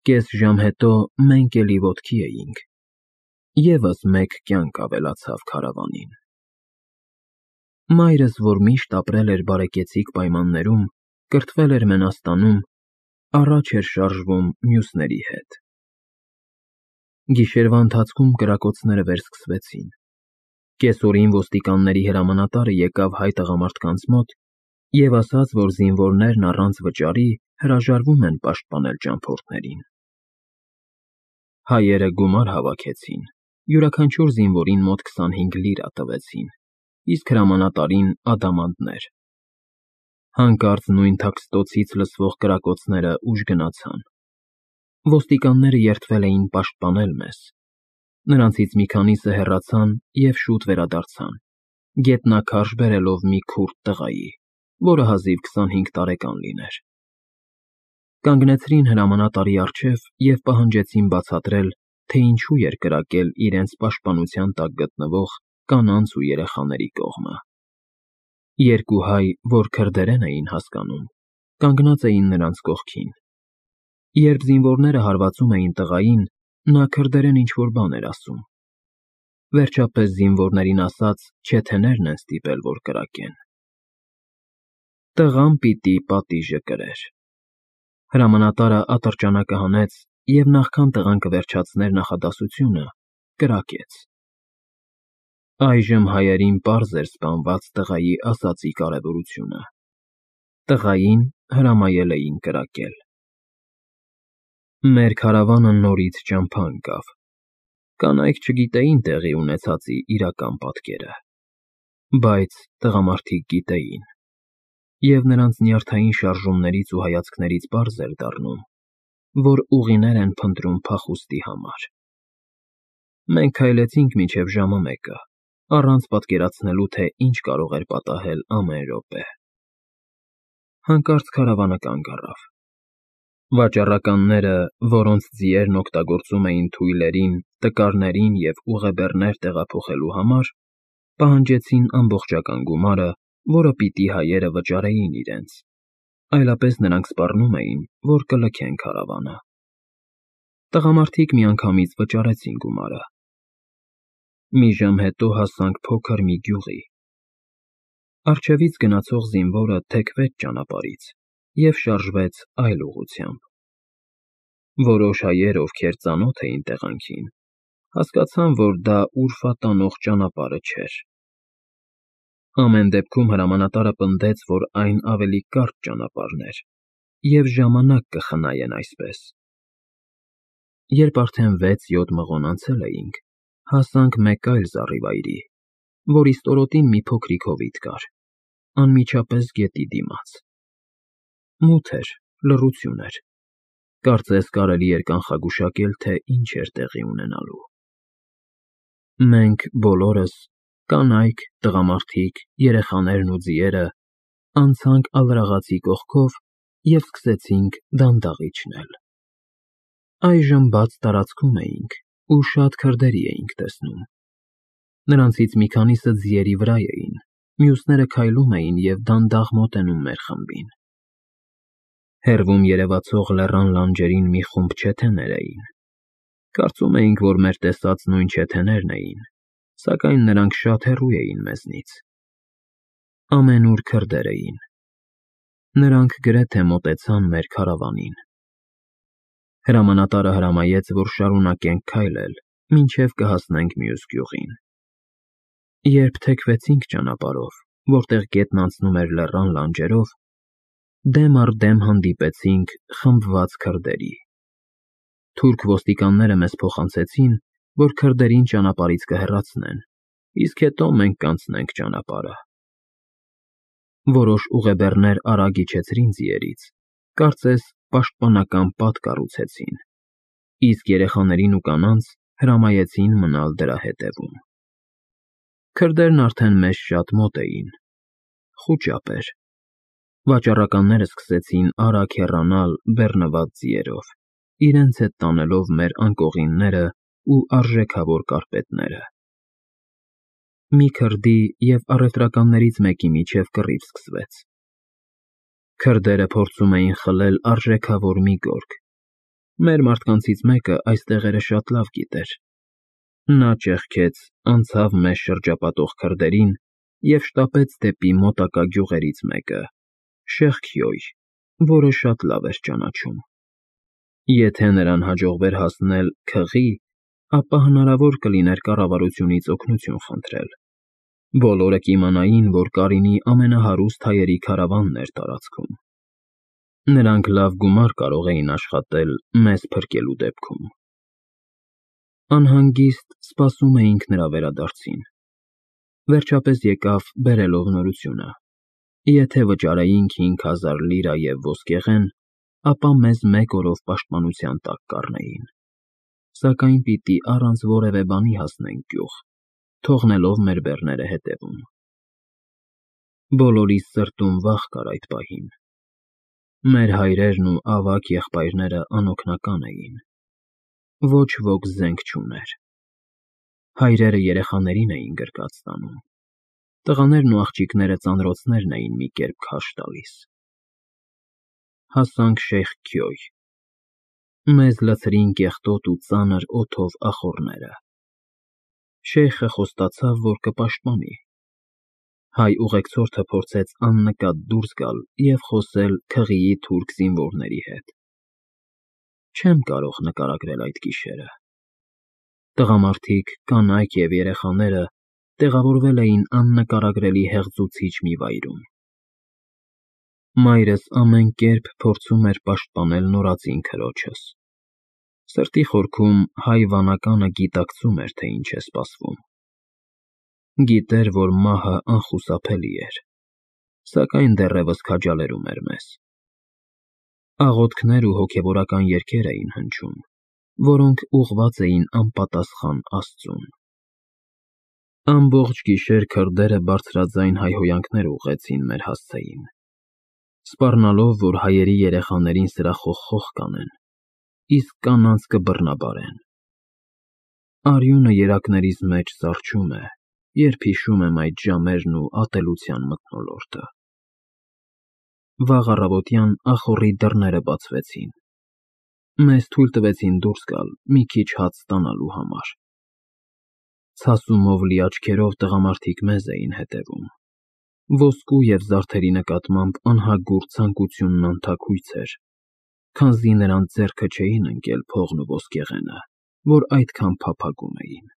Կես ժամ հետո մենք էլի ոտքի էինք, ևս մեկ կյանք ավելացավ քարավանին։ Մայրս, որ միշտ ապրել էր բարեկեցիկ պայմաններում, կրթվել էր Մենաստանում, առաջ էր շարժվում մյուսների հետ։ Գիշերվա ընթացքում կրակոցները վերսկսվեցին։ Կեսօրին ոստիկանների հրամանատարը եկավ հայ տղամարդկանց մոտ և ասաց, որ զինվորներն առանց վճարի հրաժարվում են պաշտպանել ճամփորդներին։ Հայերը գումար հավաքեցին, յուրաքանչյուր զինվորին մոտ 25 լիրա տվեցին, իսկ հրամանատարին ադամանդներ։ Հանկարծ նույն թաքստոցից լսվող կրակոցները ուժ գնացան։ Ոստիկանները երդվել էին պաշտպանել մեզ։ Նրանցից մի քանիսը հեռացան և շուտ վերադարձան, գետնաքարշ բերելով մի քուրդ տղայի, որը հազիվ 25 տարեկան լիներ։ Կանգնեցրին հրամանատարի առջև և պահանջեցին բացատրել, թե ինչու էր կրակել իրենց պաշտպանության տակ գտնվող կանանց ու երեխաների կողմը։ Երկու հայ, որ քրդերեն էին հասկանում, կանգնած էին նրանց կողքին։ Երբ զինվորները հարվածում էին տղային, նա քրդերեն ինչ-որ բան էր ասում։ Վերջապես զինվորներին ասաց, չեթեներն են ստիպել, որ կրակեն։ Տղան պիտի պատիժը կրեր։ Հրամանատարը ատրճանակը հանեց և նախքան տղան կվերջացներ նախադասությունը, կրակեց։ Այժմ հայերին պարզ էր սպանված տղայի ասածի կարևորությունը։ Տղային հրամայել էին կրակել։ Մեր քարավանը նորից ճամփա ընկավ։ Կանայք չգիտեին տեղի ունեցածի իրական պատկերը, բայց տղամարդիկ գիտեին, և նրանց նյարդային շարժումներից ու հայացքներից պարզ էր դառնում, որ ուղիներ են փնտրում փախուստի համար։ Մենք քայլեցինք մինչև ժամը 1-ը, առանց պատկերացնելու, թե ինչ կարող էր պատահել ամեն րոպե։ Հանկարծ քարավանը կանգ առավ։ Վաճառականները, որոնց ձիերն օգտագործում էին թույլերին, տկարներին և ուղեբեռներ տեղափոխելու համար, պահանջեցին ամբողջական գումարը, որը պիտի հայերը վճարեին իրենց, այլապես նրանք սպառնում էին, որ կլքեն քարավանը։ Տղամարդիկ միանգամից վճարեցին գումարը։ Մի ժամ հետո հասանք փոքր մի գյուղի։ Առջևից գնացող զինվորը թեքվեց ճանապարհից և շարժվեց այլ ուղղությամբ։ Որոշ հայեր, ովքեր ծանոթ էին տեղանքին, հասկացան, որ դա Ուռֆա տանող ճանապարհը չէր։ Ամեն դեպքում հրամանատարը պնդեց, որ այն ավելի կարճ ճանապարհն էր, և ժամանակ կխնայեն այսպես։ Երբ արդեն 6-7 մղոն անցել էինք, հասանք մեկ այլ զառիվայրի, որի ստորոտին մի փոքրիկ հովիտ կար, անմիջապես գետի դիմաց։ Մութ էր, լռություն էր։ Կարծես կարելի էր կանխագուշակել, թե ինչ էր տեղի ունենալու։ Մենք բոլորս, կանայք, տղամարդիկ, երեխաներն ու ձիերը, անցանք ալրաղացի կողքով և սկսեցինք դանդաղ իջնել։ Այժմ բաց տարածքում էինք ու շատ քրդերի էինք տեսնում։ Նրանցից մի քանիսը ձիերի վրա էին, մյուսները քայլում էին և դանդաղ մոտենում մեր խմբին։ Հեռվում երևացող լեռան լանջերին մի խումբ չեթեներ էին։ Կարծում էինք, որ մեր տեսած նույն չեթեներն էին, սակայն նրանք շատ հեռու էին մեզնից։ Ամենուր քրդեր էին։ Նրանք գրեթե մոտեցան մեր քարավանին։ Հրամանատարը հրամայեց, որ շարունակենք քայլել, մինչև կհասնենք մյուս գյուղին։ Երբ թեքվեցինք ճանապարհով, որտեղ գետն անցնում էր լեռան լանջերով, դեմ առ դեմ հանդիպեցինք խմբված քրդերի։ Թուրք ոստիկանները մեզ փոխանցեցին, որ քրդերին ճանապարհից կհեռացնեն, իսկ հետո մենք կանցնենք ճանապարհը։ Որոշ ուղեբեռներ արագ իջեցրին ձիերից, կարծես պաշտպանական պատ կառուցեցին, իսկ երեխաներին ու կանանց հրամայեցին մնալ դրա հետևում։ Քրդերն արդեն մեզ շատ մոտ էին։ Խուճապ էր։ Վաճառականները սկսեցին արագ հեռանալ բեռնված ձիերով, իրենց հետ տանելով մեր անկողինները ու արժեքավոր կարպետները։ Մի քրդի և առևտրականներից մեկի միջև կռիվ սկսվեց։ Քրդերը փորձում էին խլել արժեքավոր մի գորգ, Մեր մարդկանցից մեկը այս տեղերը շատ լավ գիտեր։ Նա ճեղքեց, անցավ մեզ շրջապատող քրդերին և շտապեց դեպի մոտակա գյուղերից մեկը՝ Շեխքյոյ, որը շատ լավ էր ճանաչում։ Եթե նրան հաջողվեր հասնել Քղի, ապա հնարավոր կլիներ կառավարությունից օգնություն խնդրել։ Բոլորը կիմանային, որ Կարինի ամենահարուստ հայերի քարավանն էր տարածքում։ Նրանք լավ գումար կարող էին աշխատել մեզ փրկելու դեպքում։ Անհանգիստ սպասում էինք նրա վերադարձին։ Վերջապես եկավ բերելով նորությունը. եթե վճարեինք 5000 լիրա և ոսկեղեն, ապա մեզ 1 օրով պաշտպանության տակ կառնեին, սակայն պիտի առանց որևէ բանի հասնենք գյուղ, թողնելով մեր բեռները հետևում։ Բոլորիս սրտում վախ կար այդ պահին։ Մեր հայրերն ու ավագ եղբայրները անօգնական էին։ Ոչ ոք զենք չուներ։ Հայրերը երեխաներին էին գրկած տանում։ Տղաներն ու աղջիկները ծանրոցներն էին մի կերպ քարշ տալիս։ Հասանք Շեխքյոյ։ Մեզ լցրին կեղտոտ ու ծանր օդով ախոռները։ Շեյխը խոստացավ, որ կպաշտպանի։ Հայ ուղեկցորդը փորձեց աննկատ դուրս գալ և խոսել Քղիի թուրք զինվորների հետ։ Չեմ կարող նկարագրել այդ գիշերը։ Տղամարդիկ, կանայք և երեխաները տեղավորվել էին աննկարագրելի հեղձուցիչ մի վայրում։ Մայրս ամեն կերպ փորձում էր պաշտպանել նորածին քրոջս։ Սրտի խորքում հայ վանականը գիտակցում էր, թե ինչ է սպասվում։ Գիտեր, որ մահը անխուսափելի էր, սակայն դեռևս քաջալերում էր մեզ։ Աղոթքներ ու հոգևորական երգեր էին հնչում, որոնք ուղղված էին անպատասխան Աստծուն։ Ամբողջ գիշեր քրդերը բարձրաձայն հայհոյանքներ ուղղեցին մեր հասցեին, սպառնալով, որ հայերի երեխաներին սրախոխ կանեն, իսկ կանանց կբռնաբարեն։ Արյունը երակներիս մեջ սառչում է, երբ հիշում եմ այդ ժամերն ու ատելության մթնոլորտը։ Վաղ առավոտյան ախոռի դռները բացվեցին։ Մեզ թույլ տվեցին դուրս գալ մի քիչ հաց ստանալու համար։ Ցասումով լի աչքերով տղամարդիկ մեզ էին հետևում։ Ոսկու և զարդերի նկատմամբ անհագուր ցանկությունն անթաքույց էր, քանզի նրանց ձեռքը չէին ընկել փողն ու ոսկեղենը, որ այդքան փափագում էին։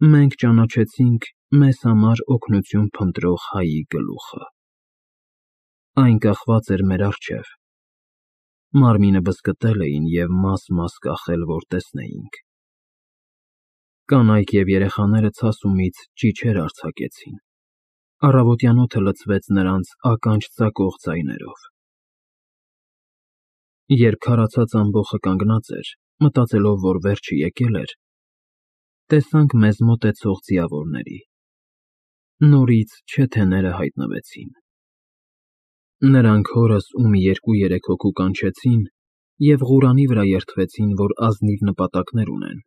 Մենք ճանաչեցինք մեզ համար օգնություն փնտրող հայի գլուխը։ Այն կախված էր մեր առջև։ Մարմինը բզկտել էին և մաս-մաս կախել, որ տեսնեինք։ Կանայք և երեխաները ցասումից ճիչեր արձակեցին։ Առավոտյան օդը լցվեց նրանց ականջ ծակող ձայներով։ Երբ քարացած ամբոխը կանգնած էր, մտածելով, որ վերջը եկել էր, տեսանք մեզ մոտեցող ձիավորների։ Նորից չեթեները հայտնվեցին։ Նրանք հորս ու մի 2-3 հոգու կանչեցին և Ղուրանի վրա երդվեցին, որ ազնիվ նպատակներ ունեն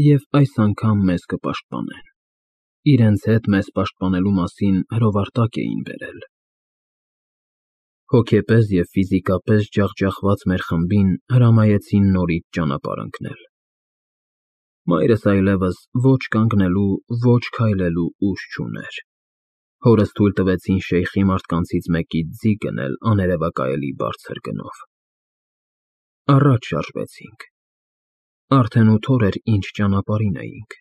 և այս անգամ մեզ կպաշտպանեն։ Իրենց հետ մեզ պաշտպանելու մասին հրովարտակ էին բերել։ Հոգեպես և ֆիզիկապես ջախջախված մեր խմբին հրամայեցին նորից ճանապարհ ընկնել։ Մայրս այլևս ոչ կանգնելու, ոչ քայլելու ուժ չուներ։ Հորս թույլ տվեցին շեյխի մարդկանցից մեկից ձի գնել աներևակայելի բարձր գնով։ Առաջ շարժվեցինք։ Արդեն 8 օր էր, ինչ ճանապարհին էինք։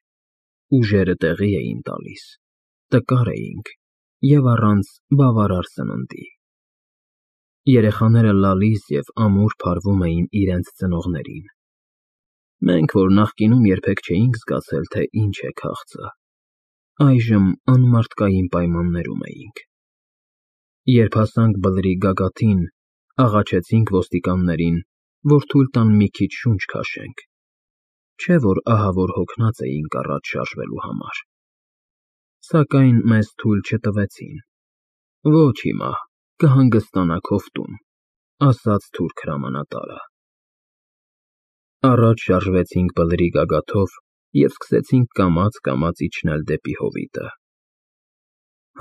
Ուժերը տեղի էին տալիս, տկար էինք և առանց բավարար սննդի։ Երեխաները լալիս և ամուր փարվում էին իրենց ծնողներին։ Մենք, որ նախկինում երբեք չէինք զգացել, թե ինչ է քաղցը, այժմ անմարդկային պայմաններում էինք։ Երբ հասանք բլրի գագաթին, աղաչեցինք ոստիկաններին, որ թույլ տան մի քիչ շունչ քաշենք, չէ՞ որ ահավոր հոգնած էինք առաջ շարժվելու համար։ Սակայն մեզ թույլ չտվեցին։ Ոչ հիմա, կհանգստանաք հովտում, ասաց թուրք հրամանատարը։ Առաջ շարժվեցինք բլրի գագաթով և սկսեցինք կամաց-կամաց իջնել դեպի հովիտը։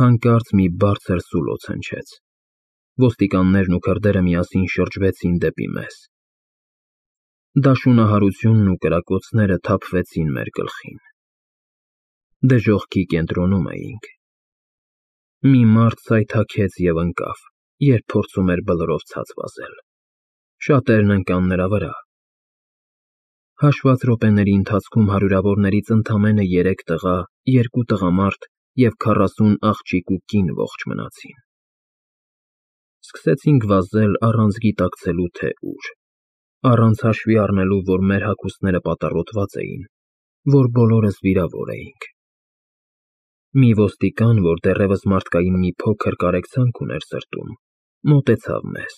Հանկարծ մի բարձր սուլոց հնչեց։ Ոստիկաններն ու քրդերը միասին շրջվեցին դեպի մեզ։ Դաշունահարությունն ու կրակոցները թափվեցին մեր գլխին։ Դժոխքի կենտրոնում էինք։ Մի մարդ սայթաքեց և ընկավ, երբ փորձում էր բլրով ցած վազել։ Շատերն ընկան նրա վրա։ Հաշված րոպեների ընթացքում հարյուրավորներից ընդամենը 3 տղա, 2 տղամարդ և 40 աղջիկ ու կին ողջ մնացին։ Սկսեցինք վազել առանց գիտակցելու, թե ուր, առանց հաշվի առնելու, որ մեր հագուստները պատառոտված էին, որ բոլորս վիրավոր էինք։ Մի ոստիկան, որ դեռևս մարդկային մի փոքր կարեկցանք ուներ սրտում, մոտեցավ մեզ։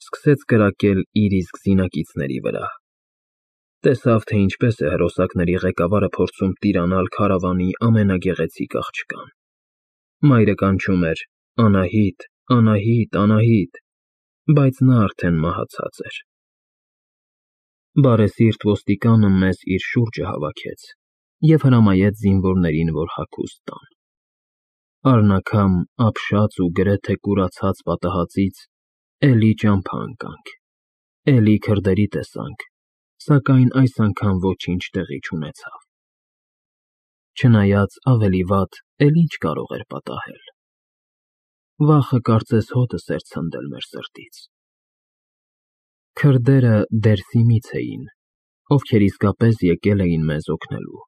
Սկսեց կրակել իր իսկ զինակիցների վրա։ Տեսավ, թե ինչպես է հրոսակների ղեկավարը փորձում տիրանալ քարավանի ամենագեղեցիկ աղջկան։ Մայրը կանչում էր. «Անահիտ, Անահիտ, Անահիտ», բայց նա արդեն մահացած էր։ Բարեսիրտ ոստիկանը մեզ իր շուրջը հավաքեց և հրամայեց զինվորներին, որ հագուստ տան։ Առնաքամ, ապշած ու գրեթե կուրացած պատահածից էլի ճամփա ընկանք, էլի քրդերի տեսանք, սակայն այս անգամ ոչինչ տեղի չունեցավ։ Չնայած ավելի վատ էլ ինչ կարող էր պատահել։ Վախը կարծես հոտս էր ցնդել մեր սրտից։ Քրդերը Դերսիմից էին, ովքեր իսկապես եկել էին մեզ օգնելու։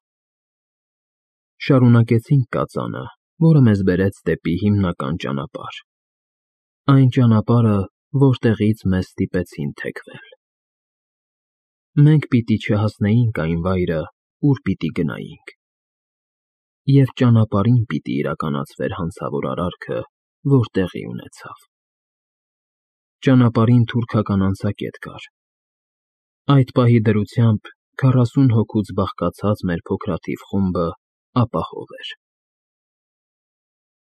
Շարունակեցինք կածանը, որը մեզ բերեց դեպի հիմնական ճանապարհ։ Այն ճանապարհը, որտեղից մեզ ստիպեցին թեքվել։ Մենք պիտի չհասնեինք այն վայրը, ուր պիտի գնայինք։ Եվ ճանապարհին պիտի իրականացվեր հանցավոր արարքը, որ տեղի ունեցավ։ Ճանապարհին թուրքական անցակետ կար։ Այդ պահի դրությամբ 40 հոգուց բաղկացած մեր փոքրաթիվ խումբը ապահով էր։